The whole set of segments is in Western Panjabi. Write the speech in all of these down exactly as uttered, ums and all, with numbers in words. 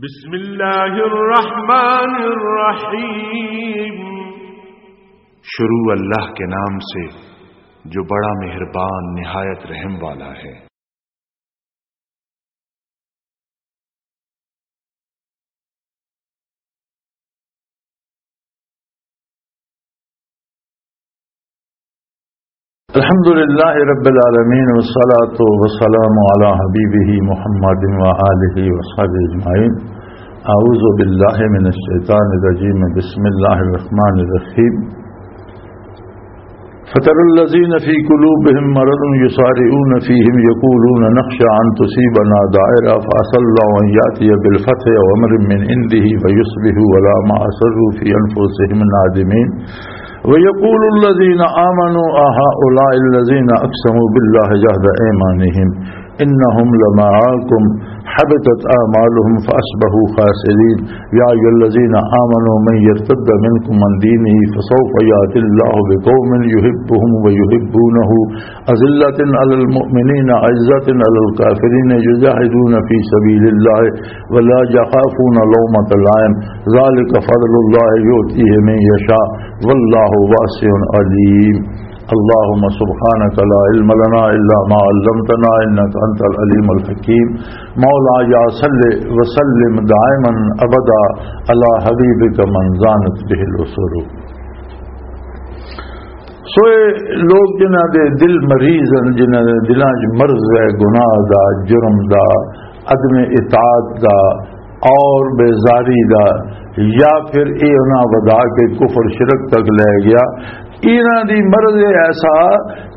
بسم اللہ الرحمن الرحیم۔ شروع اللہ کے نام سے جو بڑا مہربان، نہایت رحم والا ہے۔ الحمد لله رب العالمين، والصلاة والسلام على حبيبه محمد وآله وصحبه أجمعين. أعوذ بالله من الشيطان الرجيم. بسم الله الرحمن الرحيم. فترى الذين في قلوبهم مرض يسارعون فيهم يقولون نخشى أن تصيبنا دائرة فعسى الله أن يأتي بالفتح أو أمر من عنده فيصبحوا على ما أسروا في أنفسهم نادمين. ويقول الذين آمنوا أهؤلاء الذين أقسموا بالله جهد أيمانهم إنهم لمعكم حبطت أعمالهم فأصبحوا خاسرين. يا أيها الذين آمنوا من يرتد منكم عن دينه فسوف يأتي الله بقوم يحبهم ويحبونه أذلة على المؤمنين أعزة على الكافرين يجاهدون في سبيل الله ولا يخافون لومة لائم. ذلك فضل الله يؤتيه من يشاء والله واسع عليم. اللهم سبحانك لا علم لنا إلا ما علمتنا إنك أنت العليم الحكيم. مولاي صل وسلم دائما أبدا على حبيبك من زانت به الأسر. سو اے لوگ جنہاں دے دل مریض ہیں، جنہاں دے دلاں 'چ مرض ہے، گناہ دا، جرم دا، عدم اطاعت دا اور بیزاری دا، یا پھر اے انہاں ودا کے کفر شرک تک لے گیا۔ انہاں دی مرض اے ایسا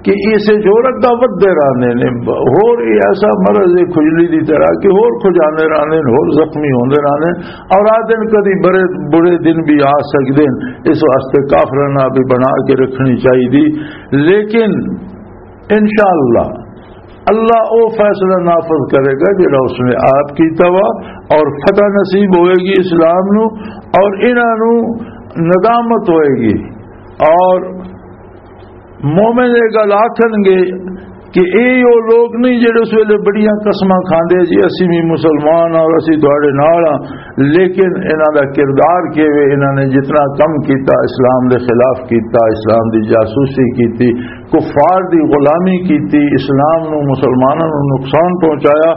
کہ اسے جو رگا ودے رہنے نے، ہور اے ایسا مرض اے کھجلی دی طرح کہ ہور کھجانے رہنے نے، ہور زخمی ہوندے رہنے۔ اور آ دن کدی بڑے، بڑے دن بھی آ سکدے نے، اس واسطے کافراں نال بھی بنا کے رکھنی چاہیے۔ لیکن انشاءاللہ اللہ او فیصلہ نافذ کرے گا جڑا اس نے آپ کیتا وا، اور فتح نصیب ہوئے گی اسلام نو، اور انہاں نو ندامت ہوئے گی۔ اور مومن یہ گل آکھن گے کہ اے او لوگ نہیں جڑے اس ویلے بڑیاں قسماں کھاندے جی، اسی بھی مسلمان اور اسی تہاڈے نال ہاں، لیکن انہاں دا کردار کیویں، انہاں نے جتنا کم کیتا، اسلام دے خلاف کیتا، اسلام دی جاسوسی کیتی، کفار دی غلامی کیتی، اسلام نو، مسلماناں نو نقصان پہنچایا،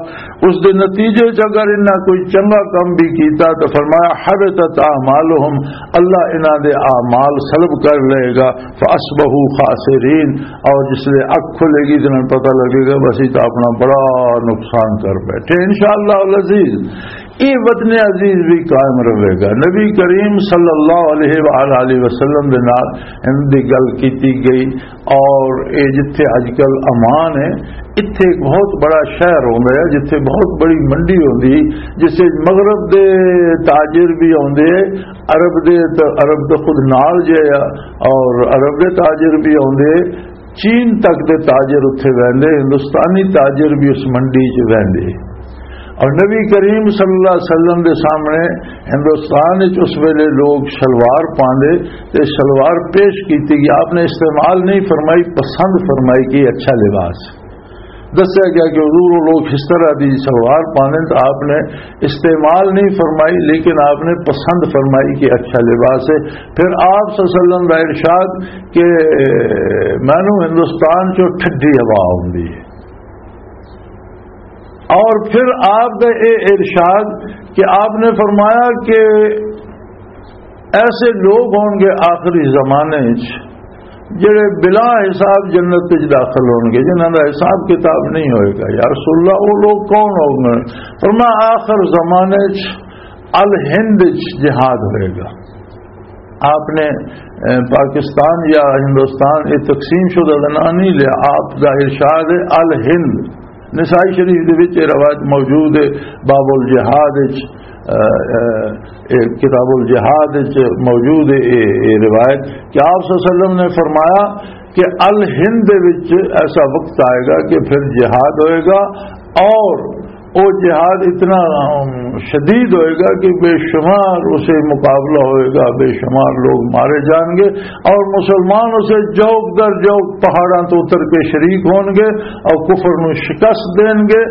اس دے نتیجے چ اگر انہاں کوئی چنگا کم بھی کیتا تو فرمایا، "حبطت اعمالہم"، اللہ انہاں دے اعمال سلب کر لے گا، "فاصبحوا خاسرین"، اور جس لے اکھ کھلے گی تو انہاں نوں پتہ لگے گا، بس یہ تو اپنا بڑا نقصان کر بیٹھے۔ انشاءاللہ العزیز، یہ وطن عزیز بھی قائم رہے گا۔ نبی کریم صلی اللہ علیہ وآلہ وسلم دے نال ان دی گل کیتی گئی، اور اے جتھے اج کل امان ہے، اتھے ایک بہت بڑا شہر ہوندا ہے، جتھے بہت بڑی منڈی ہوندی، جس وچ مغرب دے تاجر بھی ہوندے، عرب دے تے عرب دے خود نال جے آ، اور عرب دے تاجر بھی ہوندے، چین تک دے تاجر اتھے ویندے، ہندوستانی تاجر بھی اس منڈی چ ویندے۔ اور نبی کریم صلی اللہ علیہ وسلم دے سامنے ہندوستان وچ اس ویلے لوگ شلوار پاندے تے شلوار پیش کیتی گئی، آپ نے استعمال نہیں فرمائی، پسند فرمائی کہ یہ اچھا لباس ہے۔ دسیا گیا کہ حضور، وہ لوگ اس طرح دی شلوار پاندے تو آپ نے استعمال نہیں فرمائی، لیکن آپ نے پسند فرمائی کہ اچھا لباس ہے۔ پھر آپ صلی اللہ علیہ وسلم کا ارشاد کہ مینوں ہندوستان چوں ٹھڈی ہوا آوندی ہے۔ اور پھر آپ کا یہ ارشاد کہ آپ نے فرمایا کہ ایسے لوگ ہون گے آخری زمانے وچ جڑے بلا حساب جنت وچ داخل ہون گے، جنہاں دا حساب کتاب نہیں ہوئے گا۔ یا رسول اللہ، وہ لوگ کون ہوں گے؟ فرمایا، آخر زمانے وچ الہند وچ جہاد ہوئے گا۔ آپ نے، اے، پاکستان یا ہندوستان، یہ تقسیم شدہ دا نام نہیں لیا، آپ دا ارشاد ہے الہند۔ نسائی شریف دے وچ یہ روایت موجود ہے، باب الجہاد وچ، اے، اے، اے، کتاب الجہاد وچ موجود ہے یہ، یہ روایت کہ آپ صلی اللہ علیہ وسلم نے فرمایا کہ الہند دے وچ ایسا وقت آئے گا کہ پھر جہاد ہوئے گا اور وہ جہاد اتنا، ام، شدید ہوئے گا کہ بے شمار اسے مقابلہ ہوئے گا، بے شمار لوگ مارے جائیں گے، اور مسلمان اسے جوک در جوک پہاڑاں تو اتر کے شریک ہون گے اور کفر نو شکست دین گے،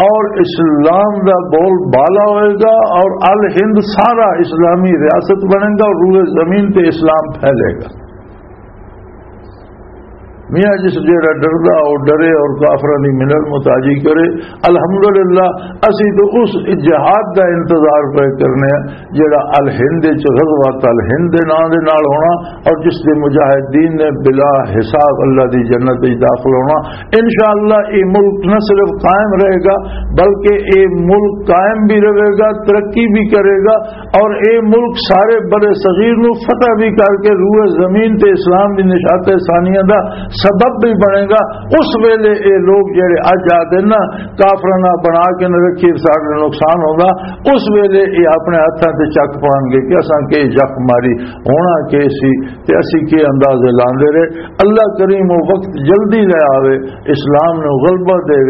اور اسلام دا بول بالا ہوئے گا، اور الہند سارا اسلامی ریاست بنے گا اور روئے زمین تے اسلام پھیلے گا۔ میاں جس جیڑا ڈردا، او ڈرے اور کافراں دی منت متاجی کرے۔ الحمدللہ، اسی تو اس جہاد دا انتظار پہ کرنے ہیں، جیڑا الہند وچ، غزوۃ الہند دے نام دے نال ہونا، اور جس دے مجاہدین نے بلا حساب اللہ دی جنت وچ داخل ہونا۔ انشاءاللہ، یہ ملک نہ صرف قائم رہے گا، بلکہ یہ ملک قائم بھی رہے گا، ترقی بھی کرے گا، اور اے ملک سارے بر صغیر نو فتح بھی کر کے روئے زمین تے اسلام دی نشاط ثانیہ دا سبب بھی بنے گا۔ اس ویلے اے لوگ جڑے اج آدے نا، کافراں نال بنا کے نہ رکھی، سارے نقصان ہوگا۔ اس ویلے اے اپنے ہتھاں تے چک پان گے کہ اساں کے زخم ماری، ہونا کے سی تے اسی کے اندازے لاندے رہے۔ اللہ کریم وہ وقت جلدی لے آوے، اسلام نو غلبہ دے،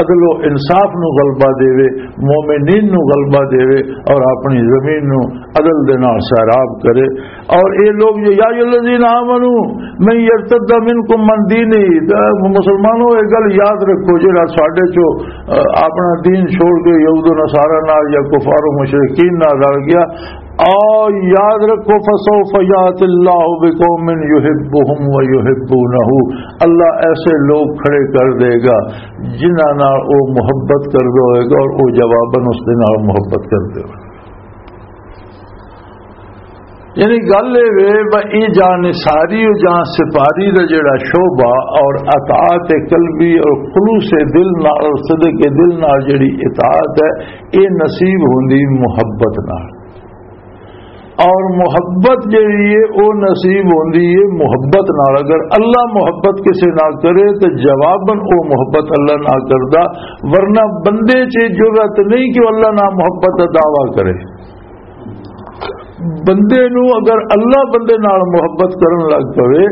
عدل و انصاف نو غلبہ دے، مومنین نو غلبہ دے اور اپنی زمین نو عدل دے نال سیراب کرے۔ اور اے لوگ جو، یا ایھا الذین آمنو من یرتد منکم عن دینہ، تے مسلمانوں، اے گل یاد رکھو، جڑا ساڈے چو، آ، اپنا دین چھوڑ کے یہود و نصارا نال یا کفار و مشرکین نال رل گیا، آ، یاد رکھو، فسوف یات اللہ بقوم یحبهم و یحبونہ، اللہ ایسے لوگ کھڑے کر دے گا جنہاں نال او محبت کردا ہوئے گا اور او جواباً اس دے نال محبت کردے ہوئے۔ یعنی گل اے وے، ب-، اے جاں نثاری و جاں سپاری دا جڑا شعبہ اور اطاعت قلبی اور خلوص دل نال اور صدق دل نال جڑی اطاعت ہے، اے نصیب ہوندی محبت نال۔ اور محبت جڑی ہے، او نصیب ہوندی ہے محبت نال۔ اگر اللہ محبت کسے نال کرے، تے جواباً او محبت اللہ نال کردا، ورنہ بندے چ جرأت نہیں کہ وہ اللہ نال محبت دا دعویٰ کرے۔ بندے نو اگر اللہ بندے نال محبت کرن لگ پوے،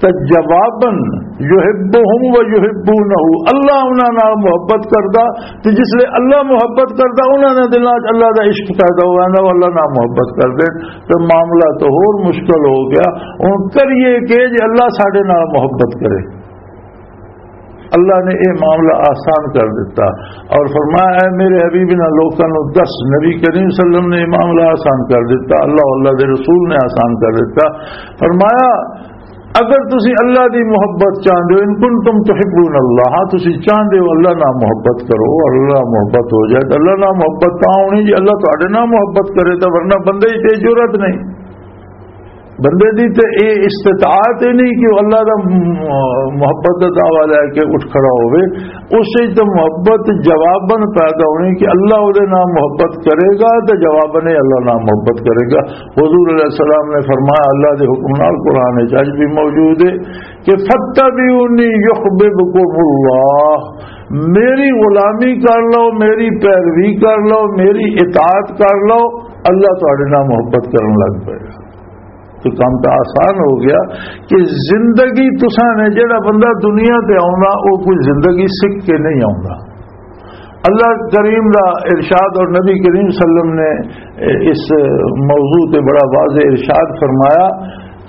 تے جواباً یحبهم و یحبونہ، اللہ انہاں نال محبت کردا۔ تے جس لے اللہ محبت کردا، انہاں دے دلاں وچ اللہ دا عشق پیدا ہو ویندا، وہ اللہ نال محبت کردے۔ تے معاملہ تو ہور مشکل ہو گیا۔ ہن کریے کہ جے اللہ ساڈے نال محبت کرے؟ اللہ نے یہ معاملہ آسان کر دیتا اور فرمایا، اے میرے حبیب، انہاں لوکاں نوں دس۔ نبی کریم صلی اللہ علیہ وسلم نے یہ معاملہ آسان کر دیتا، اللہ، اللہ دے رسول نے آسان کر دیتا۔ فرمایا، اگر تسی اللہ دی محبت چاہندے ہو، ان کنتم تحبون اللہ، ہاں، تسی چاہندے ہو اللہ نال محبت کرو اور اللہ محبت ہو جائے، تو اللہ نال محبت تاں ہونی جی اللہ تہاڈے نال محبت کرے، تو ورنہ بندے ہی تے جرأت نہیں۔ بندے دی تے اے استطاعت ہی نہیں کہ وہ اللہ دا م-، محبت دا دعویٰ لے کے اٹھ کھڑا ہوئے۔ اس سے تو محبت جواباً پیدا ہونی کہ اللہ دے نال محبت کرے گا، تو جواباً ہی اللہ نال محبت کرے گا۔ حضور علیہ السلام نے فرمایا، اللہ دے حکم نال، قرآن وچ اج بھی موجود ہے کہ فَاتَّبِعُونِي يُحْبِبْكُمُ اللَّهُ، میری غلامی کر لو، میری پیروی کر لو، میری اطاعت کر لو، اللہ تہاڈے نال محبت کرن لگ پائے گا۔ تو کام تو آسان ہو گیا کہ زندگی، تساں نے، جڑا بندہ دنیا تے آوندا، وہ کوئی زندگی سکھ کے نہیں آوندا۔ اللہ کریم دا ارشاد اور نبی کریم صلی اللہ علیہ وسلم نے اس موضوع تے بڑا واضح ارشاد فرمایا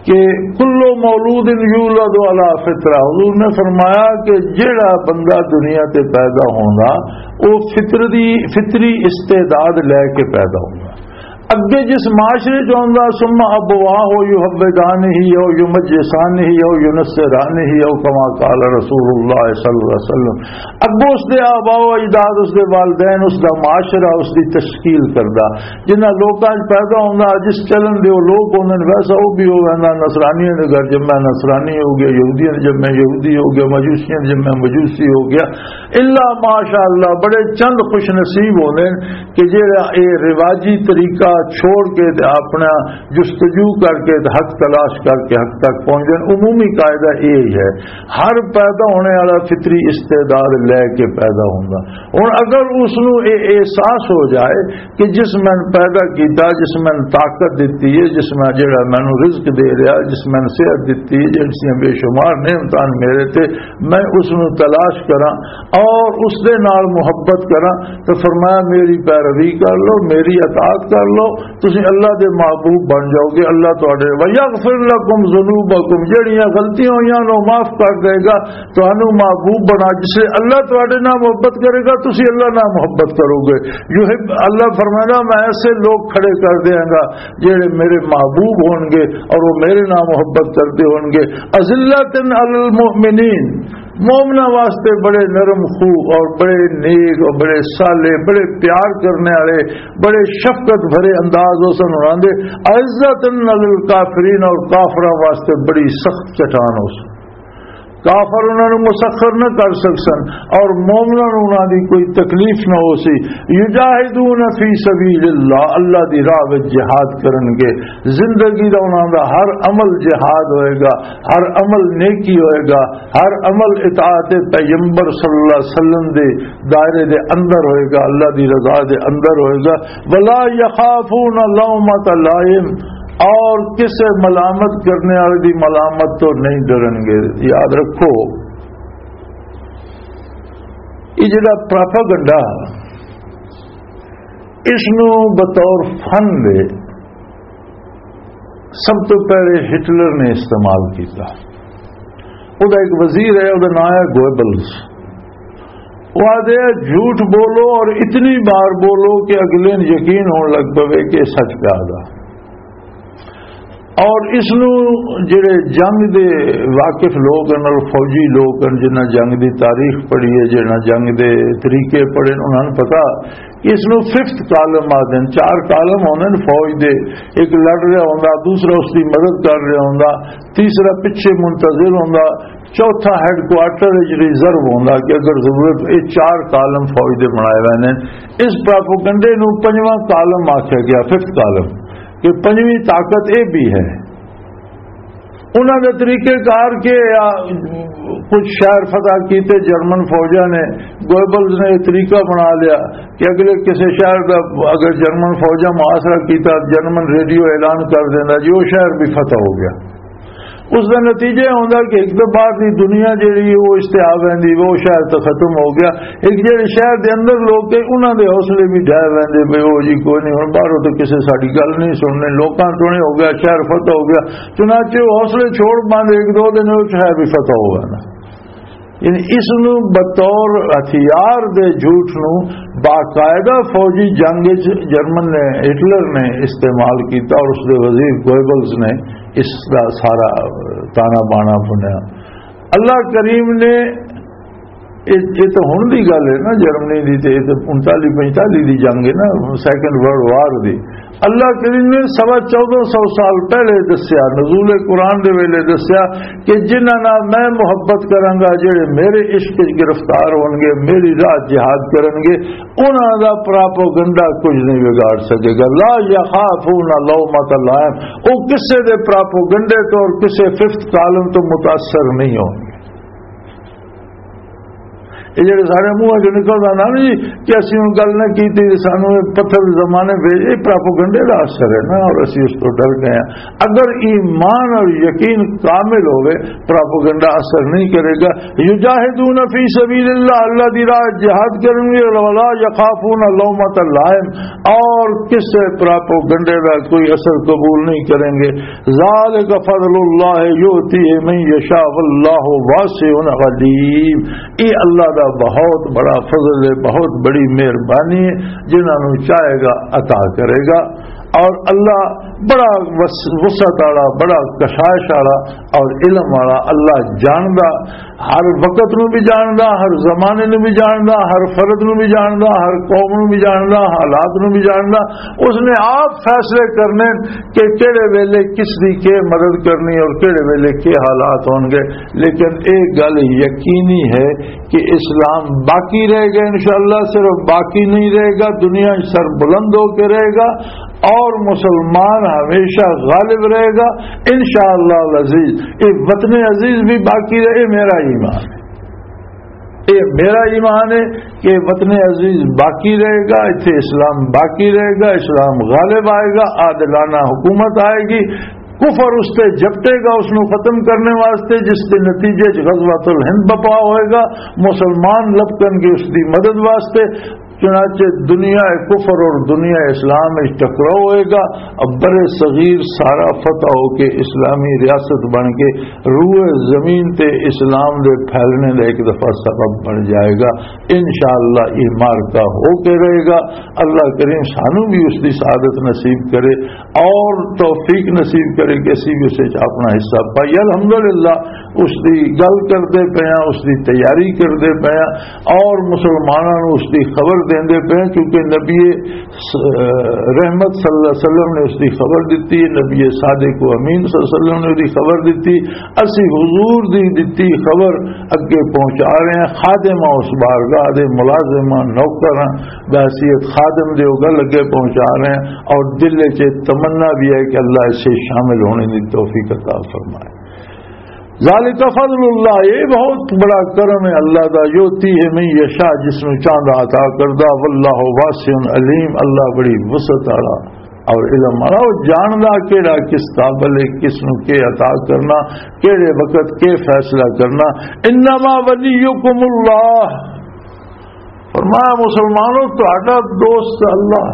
کہ کل مولود یولد علی فطرہ۔ حضور نے فرمایا کہ جڑا بندہ دنیا تے پیدا ہوندا، وہ فطری، فطری استعداد لے کے پیدا ہوندا۔ اگے جس معاشرے چ ہوندا، ثم ابواہ یحودانہ او یمجسانہ او ینصرانہ او کما قال رسول اللہ صلی اللہ علیہ وسلم، اگوں اس دے آبا و اجداد، اس دے والدین، اس دا معاشرہ، اس دی تشکیل کردا۔ جنہاں لوکاں وچ پیدا ہوندا، جس چلن دے او لوک ہوندے نے، ویسا او بھی ہو ویندا۔ نصرانیاں دے گھر جمع، نصرانی ہو گیا، یہودیاں دے جمع، یہودی ہو گیا، مجوسیاں دے جمع، مجوسی ہو گیا۔ الا ماشاء اللہ، بڑے چند خوش نصیب ہوندے نے کہ جڑا اے رواجی طریقہ چھوڑ کے تے اپنا جستجو کر کے تے حق تلاش کر کے حق تک پہنچ جان۔ عمومی قاعدہ اے ہی ہے، ہر پیدا ہونے والا فطری استعداد لے کے پیدا ہوندا۔ ہن اگر اس نو اے احساس ہو جائے کہ جس میں پیدا کیتا، جس میں طاقت دتی ہے، جس میں جڑا مینوں رزق دے رہا، جس میں صحت دتی ہے، جس نے بے شمار نعمتاں میرے تے، میں اس نو تلاش کراں اور اس دے نال محبت کراں، تو فرمایا، میری پیروی کر لو، میری اطاعت کر لو، تسی اللہ دے محبوب بن جاؤ گے۔ اللہ تہاڈے، وَيَغْفِرْ لَكُمْ ذُنُوبَكُمْ، جڑیاں غلطیاں ہوئیاں نو معاف کر دے گا، تہانوں محبوب بنا۔ جس سے اللہ تہاڈے نال محبت کرے گا، تسی اللہ نال محبت کرو گے۔ یحب، اللہ فرمایا، میں ایسے لوگ کھڑے کر دیاں گا جڑے میرے محبوب ہون گے اور وہ میرے نال محبت کردے ہون گے۔ أَذِلَّةً عَلَى الْمُؤْمِنِينَ، مومناں واسطے بڑے نرم خو اور بڑے نیک اور بڑے صالح، بڑے پیار کرنے والے، بڑے شفقت بھرے انداز اس نوں آندے۔ أَعِزَّةً عَلَى الْكَافِرِينَ، اور کافراں واسطے بڑی سخت چٹان اس۔ کافر انہاں نوں مسخر نہ کر سکسن اور مومناں نوں انہاں دی کوئی تکلیف نہ ہو سی۔ يُجَاهِدُونَ فِي سَبِيلِ اللَّهِ، اللہ دی راہ وچ جہاد کرن گے۔ زندگی دا انہاں دا ہر عمل جہاد ہوئے گا، ہر عمل نیکی ہوئے گا، ہر عمل اطاعت پیغمبر صلی اللہ علیہ وسلم دے دائرے دے اندر ہوئے گا، اللہ دی رضا دے اندر ہوئے گا۔ وَلَا يَخَافُونَ لَوْمَةَ لَائِمٍ، اور کسے ملامت کرنے والے دی ملامت تو نہیں ڈرن گے۔ یاد رکھو، یہ جڑا پراپاگنڈا، اس نو بطور فن دے سب تو پہلے ہٹلر نے استعمال کیتا۔ او دا ایک وزیر ہے، او دا نام ہے گوئبلز۔ وہ آدھے، جھوٹ بولو اور اتنی بار بولو کہ اگلے نوں یقین ہون لگ پوے کہ سچ پیا آدھا۔ اور اس نو جڑے جنگ دے واقف لوگ ہن اور فوجی لوگ ہن، جنہاں جنگ دی تاریخ پڑھی ہے، جنہاں جنگ دے طریقے پڑھے ہن، انہاں نوں پتہ کہ اس نو ففتھ کالم آدھے ہن۔ چار کالم ہوندے ہن فوج دے، ایک لڑ رہا ہوندا، دوسرا اس دی مدد کر رہا ہوندا، تیسرا پچھے منتظر ہوندا، چوتھا ہیڈ کوارٹر وچ ریزرو ہوندا کہ اگر ضرورت، یہ چار کالم فوج دے بنائے ہوئے نے۔ اس پراپوگنڈے نو پنجواں کالم آکھیا گیا، ففتھ کالم، کہ پنجویں طاقت یہ بھی ہے۔ انہاں دے طریقے کار کے آ، کچھ شہر فتح کیتے جرمن فوجاں نے، گوئبلز نے یہ طریقہ بنا لیا کہ اگلے کسی شہر دا اگر جرمن فوجاں محاصرہ کیتا، جرمن ریڈیو اعلان کر دیندا جی وہ شہر بھی فتح ہو گیا۔ اس دا نتیجہ یہ ہوندا کہ ایک تو باہر دی دنیا جیڑی ہے وہ اس تے آ ویندی، وہ شہر تو ختم ہو گیا۔ ایک جیڑے شہر دے اندر لوگ گئے، انہاں دے حوصلے بھی ڈھہ ویندے پئے، "او جی کوئی نہیں، ہن باہروں تو کسے ساڈی گل نہیں سننی، لوکاں تو نہیں ہو گیا، شہر فتح ہو گیا۔" چنانچہ وہ حوصلے چھوڑ پاندے، ایک دو دن وہ شہر بھی فتح ہو گیا نا۔ یعنی اس نو بطور ہتھیار دے جھوٹ نو باقاعدہ فوجی جنگ وچ جرمن نے، ہٹلر نے استعمال کیتا اور اس دے وزیر گوئبلز نے اس دا سارا تانا بانا بنیا۔ اللہ کریم نے، یہ یہ تو ہن دی گل ہے نا، جرمنی دی تے، یہ تے انتالی پنجتالی دی جنگ ہے نا، سیکنڈ ورلڈ وار دی۔ اللہ کریم نے سوا چودہ سو سال پہلے دسیا، نزول قرآن دے ویلے دسیا کہ جنہاں نال میں محبت کراں گا، جڑے میرے عشق وچ گرفتار ہون گے، میری راہ جہاد کرن گے، انہاں دا پراپوگنڈا کچھ نہیں بگاڑ سکے گا۔ لا یخافون لومۃ لائم، وہ کسے دے پراپوگنڈے تو اور کسے ففتھ کالم تو متاثر نہیں ہون گے۔ یہ جڑے سارے منہ چ نکلدا نا جی کہ اسی ہن گل نہ کیتی، سانو یہ پتھر زمانے بھیج، یہ پراپوگنڈے دا اثر ہے نا، اور اسی اس تو ڈر گئے ہیں۔ اگر ایمان اور یقین کامل ہوئے، پراپوگنڈا اثر نہیں کرے گا۔ یجاہدون فی سبیل اللہ، اللہ دی راہ جہاد کرن گے، ولا یخافون لومۃ لائم، اور کسے پراپوگنڈے دا کوئی اثر قبول نہیں کریں گے۔ ذالک فضل اللہ یؤتیہ من یشاء واللہ واسع علیم۔ یہ اللہ دا بہت بڑا فضل ہے، بہت بڑی مہربانی ہے، جنہاں نوں چاہے گا عطا کرے گا۔ اور اللہ بڑا وس-، وسعت والا، بڑا کشائش والا اور علم والا، اللہ جاندا، ہر وقت نو بھی جاندا، ہر زمانے نو بھی جاندا، ہر فرد نو بھی جاندا، ہر قوم نو بھی جاندا، حالات نو بھی جاندا۔ اس نے آپ فیصلے کرنے کہ کہڑے ویلے کس دی کی مدد کرنی اور کہڑے ویلے کی حالات ہون گے۔ لیکن ایک گل یقینی ہے کہ اسلام باقی رہے گا، انشاءاللہ صرف باقی نہیں رہے گا، دنیا سر بلند ہو کے رہے گا اور مسلمان ہمیشہ غالب رہے گا انشاءاللہ العزیز۔ یہ وطن عزیز بھی باقی رہے، میرا ایمان ہے۔ یہ میرا ایمان ہے کہ وطن عزیز باقی رہے گا، اتھے اسلام باقی رہے گا، اسلام غالب آئے گا، عادلانہ حکومت آئے گی، کفر اس تے جپٹے گا، اس نو ختم کرنے واسطے، جس دے نتیجے چ غزوۃ الہند بپا ہوئے گا، مسلمان لپکن گے اس دی مدد واسطے۔ چنانچہ دنیا کفر اور دنیا اسلام وچ ٹکراؤ ہوئے گا، اب بر صغیر سارا فتح ہو کے اسلامی ریاست بن کے روئے زمین تے اسلام دے پھیلنے دا ایک دفعہ سبب بن جائے گا۔ انشاءاللہ یہ معرکہ ہو کے رہے گا۔ اللہ کریم سانو بھی اس دی سعادت نصیب کرے اور توفیق نصیب کرے کہ اسی بھی اسے اپنا حصہ پائیے۔ الحمدللہ اس دی گل کردے پئے ہاں، اس دی تیاری کردے پئے ہاں اور مسلماناں نوں اس دی خبر دیندے پئے ہاں، کیونکہ نبی س-، رحمت صلی اللہ علیہ وسلم نے اس دی خبر دتی، نبی صادق و امین صلی اللہ علیہ وسلم نے اس دی خبر دتی۔ اسی حضور دی دتی خبر اگے پہنچا رہے ہیں۔ خادم ہاں، اس بارگاہ دے ملازم ہاں، نوکر ہاں، بحیثیت خادم دے او گل اگے پہنچا رہے ہیں اور دل وچ تمنا بھی ہے کہ اللہ اس سے شامل ہونے دی توفیق عطا فرمائے۔ ذالک فضل اللہ، یہ بہت بڑا کرم ہے اللہ دا، یؤتی ہے من یشاء، جس نوں چاہندا عطا کردا، واللہ واسع علیم، اللہ بڑی وسعت والا اور علم والا، وہ جاندا کیڑا کس قابل ہے، کس نوں کے عطا کرنا، کیڑے وقت کے فیصلہ کرنا۔ انما ولیکم اللہ، فرمایا مسلمانوں، تہاڈا دوست اللہ۔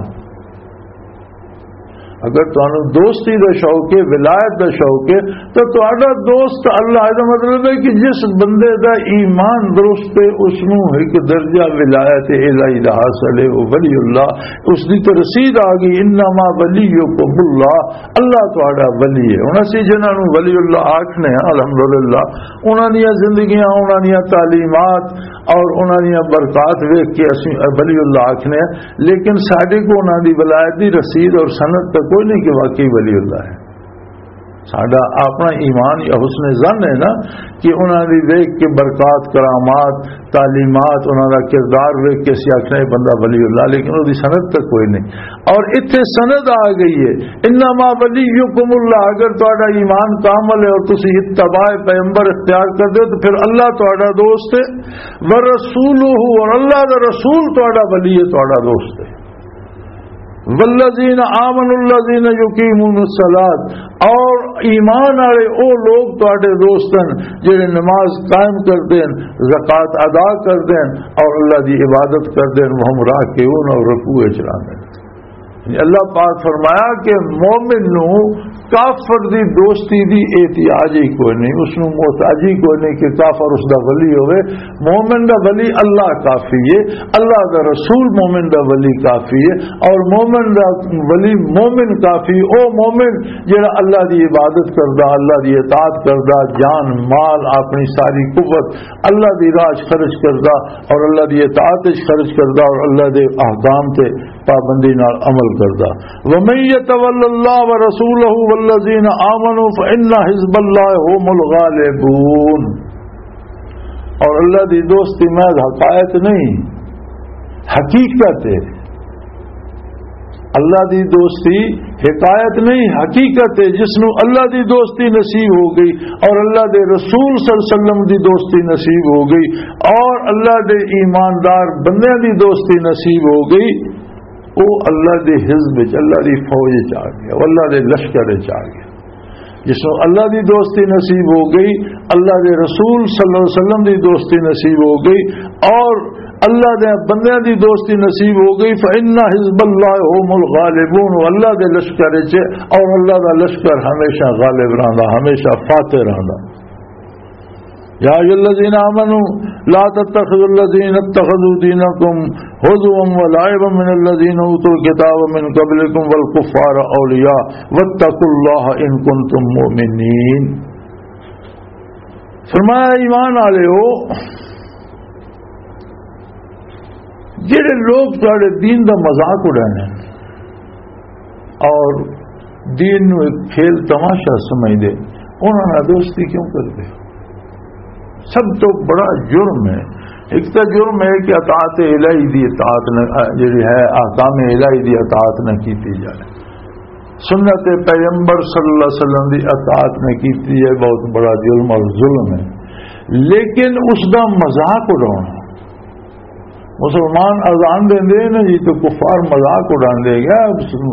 اگر تانوں دوستی دا شوق ہے، ولایت دا شوق ہے، تو تہاڈا دوست اللہ۔ دا مطلب ہے کہ جس بندے دا ایمان درست ہے، اس نوں ایک درجہ ولایت الہی دا حاصل ہے، وہ ولی اللہ، اس دی تو رسید آ گئی۔ انما ولیکم اللہ، اللہ تہاڈا ولی ہے۔ ہن اسی جنہاں نوں ولی اللہ آکھنے ہاں، الحمدللہ، انہاں دیاں زندگیاں، انہاں دیاں تعلیمات اور انہاں دیاں برکات ویکھ کے اسی ولی اللہ آکھنے ہاں، لیکن ساڈے کو انہاں دی ولایت دی رسید اور سند تک کوئی نہیں کہ واقعی ولی اللہ ہے۔ ساڈا اپنا ایمان یا حسن ظن ہے نا، کہ انہاں دی ویکھ کے برکات، کرامات، تعلیمات، انہاں دا کردار ویکھ کے اسی آکھنے یہ بندہ ولی اللہ، لیکن وہ دی سند تک کوئی نہیں۔ اور اتھے سند آ گئی ہے، انما ولیکم اللہ، اگر تہاڈا ایمان کامل ہے اور تسی اتباع پیغمبر اختیار کر دے تو پھر اللہ تہاڈا دوست ہے، ورسولہ، اور اللہ دا رسول تہاڈا ولی ہے، تہاڈا دوست ہے۔ والذین آمنوا الذین یقیمون الصلاۃ، اور ایمان والے او لوگ تہاڈے دوست ہیں جڑے نماز قائم کر دین، زکوٰۃ ادا کر دین اور اللہ دی عبادت کر دین، وہم راکعون، اور رکوع وچ رہندے۔ یعنی اللہ پاک فرمایا کہ مومن نو کافر دی دوستی دی احتیاج ہی کوئی نہیں، اس نو محتاج ہی کوئی نہیں کہ کافر اس دا ولی ہوئے۔ مومن دا ولی اللہ کافی ہے، اللہ دا رسول مومن دا ولی کافی ہے، اور مومن دا ولی مومن کافی، او مومن جڑا اللہ دی عبادت کردا، اللہ دی اطاعت کردا، جان مال اپنی ساری قوت اللہ دی راہ 'چ خرچ کردا اور اللہ دی اطاعت 'چ خرچ کردا اور اللہ دے احکام تے پابندی نال عمل کردا۔ ومن يتول الله ورسوله والذين آمنوا فإن حزب الله هم الغالبون۔ اور اللہ دی دوستی محض حقائق نہیں، حقیقت ہے۔ اللہ دی دوستی حکایت نہیں، حقیقت ہے۔ جس نو اللہ دی دوستی نصیب ہو گئی اور اللہ دے رسول صلی اللہ علیہ وسلم دی دوستی نصیب ہو گئی اور اللہ دے ایماندار بندیاں دی دوستی نصیب ہو گئی، وہ اللہ دے حزب وچ، اللہ دی فوج وچ آ گیا، وہ اللہ دے لشکر وچ آ گیا۔ جس نو اللہ دی دوستی نصیب ہو گئی، اللہ دے رسول صلی اللہ علیہ وسلم دی دوستی نصیب ہو گئی اور اللہ دے بندیاں دی دوستی نصیب ہو گئی، فإن حزب الله هم الغالبون، وہ اللہ دے لشکر وچ ہے اور اللہ دا لشکر ہمیشہ غالب رہندا، ہمیشہ فاتح رہندا۔ يا أيها الذين آمنوا لا تتخذوا الذين اتخذوا دينكم هزوا ولعبا من الذين أوتوا الكتاب من قبلكم والكفار أولياء واتقوا الله إن كنتم مؤمنين۔ فرمایا، ایمان والے ہو، جڑے لوگ تہاڈے دین دا مذاق اڑانے اور دین نو ایک کھیل تماشا سمجھ دے، انہاں نال دوستی کیوں کر دے؟ سب تو بڑا جرم ہے۔ ایک تو جرم ہے کہ اطاعت الہی دی اطاعت نہ، جڑی ہے، احکام الہی دی اطاعت نہ کیتی جائے، سنت پیغمبر صلی اللہ علیہ وسلم دی اطاعت نہ کیتی جائے، بہت بڑا جرم اور ظلم ہے۔ لیکن اس دا مذاق اڑانا، مسلمان اذان دیندے نے جی، تو کفار مذاق اڑاندے، کیا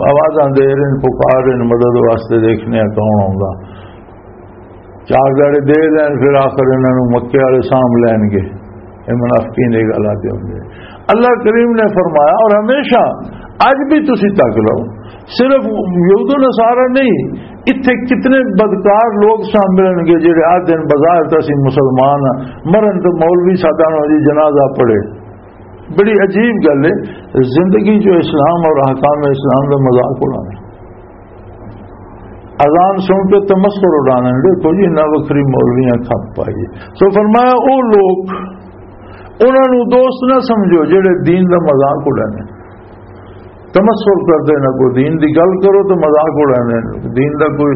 آوازاں دے رہے ہیں، پکار رہے ہیں مدد واسطے، دیکھنے آ کون آوندا۔ چار دہاڑے دے لین، پھر آخر انہاں نوں مکے والے سام لین گے۔ یہ منافقین یہ گل آتے ہوندے۔ اللہ کریم نے فرمایا، اور ہمیشہ، اج بھی تسی تک لو، صرف یہود و نصارہ نہیں، اتھے کتنے بدکار لوگ سامنے ملن گے، جڑے آ دن بظاہر تو اسی مسلمان ہاں، مرن تو مولوی سادہ نو جی جنازہ پڑھے۔ بڑی عجیب گل ہے، زندگی جو اسلام اور احکام اسلام دا مذاق اڑانا۔ اذان سن کے تمسخر اڑانا، دیکھو جی، نہ وکھری مولویاں کھپ پائی۔ سو فرمایا، او لوگ، انہاں نوں دوست نہ سمجھو جڑے دین دا مذاق اڑانے۔ تمسخر کردے نہ، کوئی دین دی گل کرو تو مذاق اڑانے، دین دا کوئی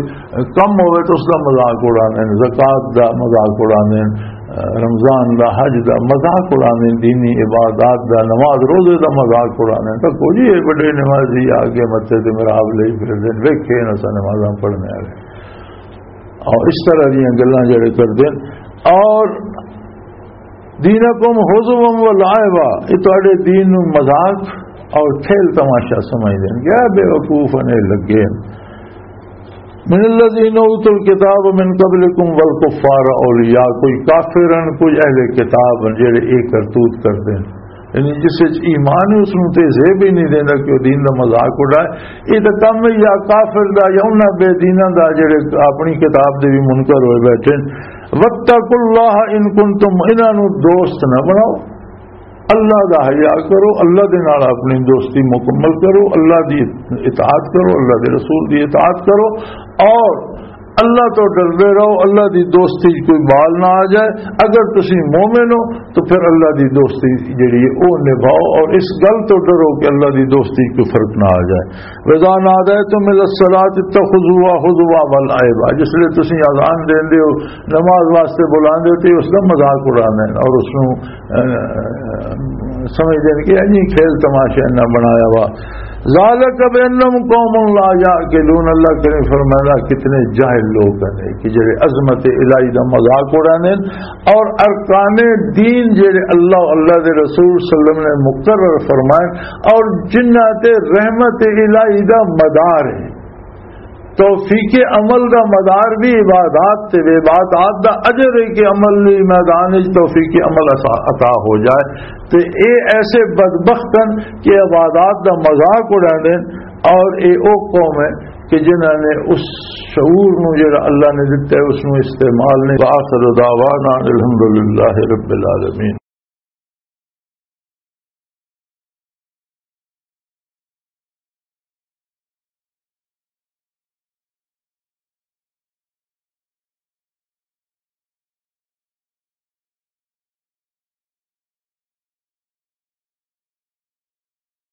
کم ہوئے تو اس دا مذاق اڑانے، زکوٰۃ دا مذاق اڑانے، رمضان دا، حج دا مذاق اڑانے، دینی عبادات دا، نماز روزے دا مذاق اڑانے۔ تو کوئی یہ بڑے نمازی آ کے متے تے میرا آپ لے پھر دین ویکھے نہ سا نمازاں پڑھنے والے، اور اس طرح دیاں گلاں جڑے کردے۔ اور دینکم ہزوا و لعبا، یہ تہاڈے دین نو مذاق اور کھیل تماشا سمجھدے نے۔ کیا بے وقوف نے لگے۔ من الذین اوتوا الکتاب من قبلکم والکفار اولیاء، کوئی کافر ہن، کوئی اہل کتاب ہن، جڑے اے کرتوت کردے نے۔ یعنی جس وچ ایمان ہے، اس نوں تے زیب ہی نہیں دیندا کہ وہ دین دا مذاق اڑائے۔ یہ تو کم ہے یا کافر دا یا انہاں بے دیناں دا، جڑے اپنی کتاب دے بھی منکر ہوئے بیٹھے نے۔ واتقوا اللہ ان کنتم، انہاں نوں دوست نہ بناؤ، اللہ دا حیا کرو، اللہ دے نال اپنی دوستی مکمل کرو، اللہ دی اطاعت کرو، اللہ دے رسول دی اطاعت کرو، اور اللہ تو ڈردے رہو، اللہ دی دوستی چ کوئی بال نہ آ جائے۔ اگر تسی مومن ہو تو پھر اللہ دی دوستی جڑی ہے، او نبھاؤ، اور اس گل تو ڈرو کہ اللہ دی دوستی چ کوئی فرق نہ آ جائے۔ وَإِذَا نَادَيْتُمْ إِلَى الصَّلَاةِ اتَّخَذُوهَا هُزُوًا وَلَعِبًا، جس لئے تسی اذان دیندے ہو، نماز واسطے بلاندے ہو، تے اس دا مذاق اڑاندے نے اور اس نوں، اے، سمجھدے نے کہ انہی کھیل تماشے نہ بنایا وا۔ ذَلِكَ بِأَنَّهُمْ قَوْمٌ لَا يَعْقِلُونَ، اللہ کریم فرمایا، کتنے جاہل لوگ ہیں کہ جڑے عظمت الہی دا مذاق اڑاندے نے اور ارکان دین جڑے اللہ، اللہ دے رسول صلی اللہ علیہ وسلم نے مقرر فرمائے اور جنہ تے رحمت الہی دا مدار ہے۔ توفیق عمل دا مدار بھی عبادات تے وے، عبادات دا اجر ہے کہ عمل دی میدان وچ توفیق عمل عطا، عطا ہو جائے۔ تے اے ایسے بدبخت ہیں کہ عبادات دا مذاق اڑاندے نے، اور اے او قوم ہے کہ جنہاں نے اس شعور نو جڑا اللہ نے دتا ہے، اس نو استعمال نہیں۔ وآخر دعوانا الحمدللہ رب العالمین۔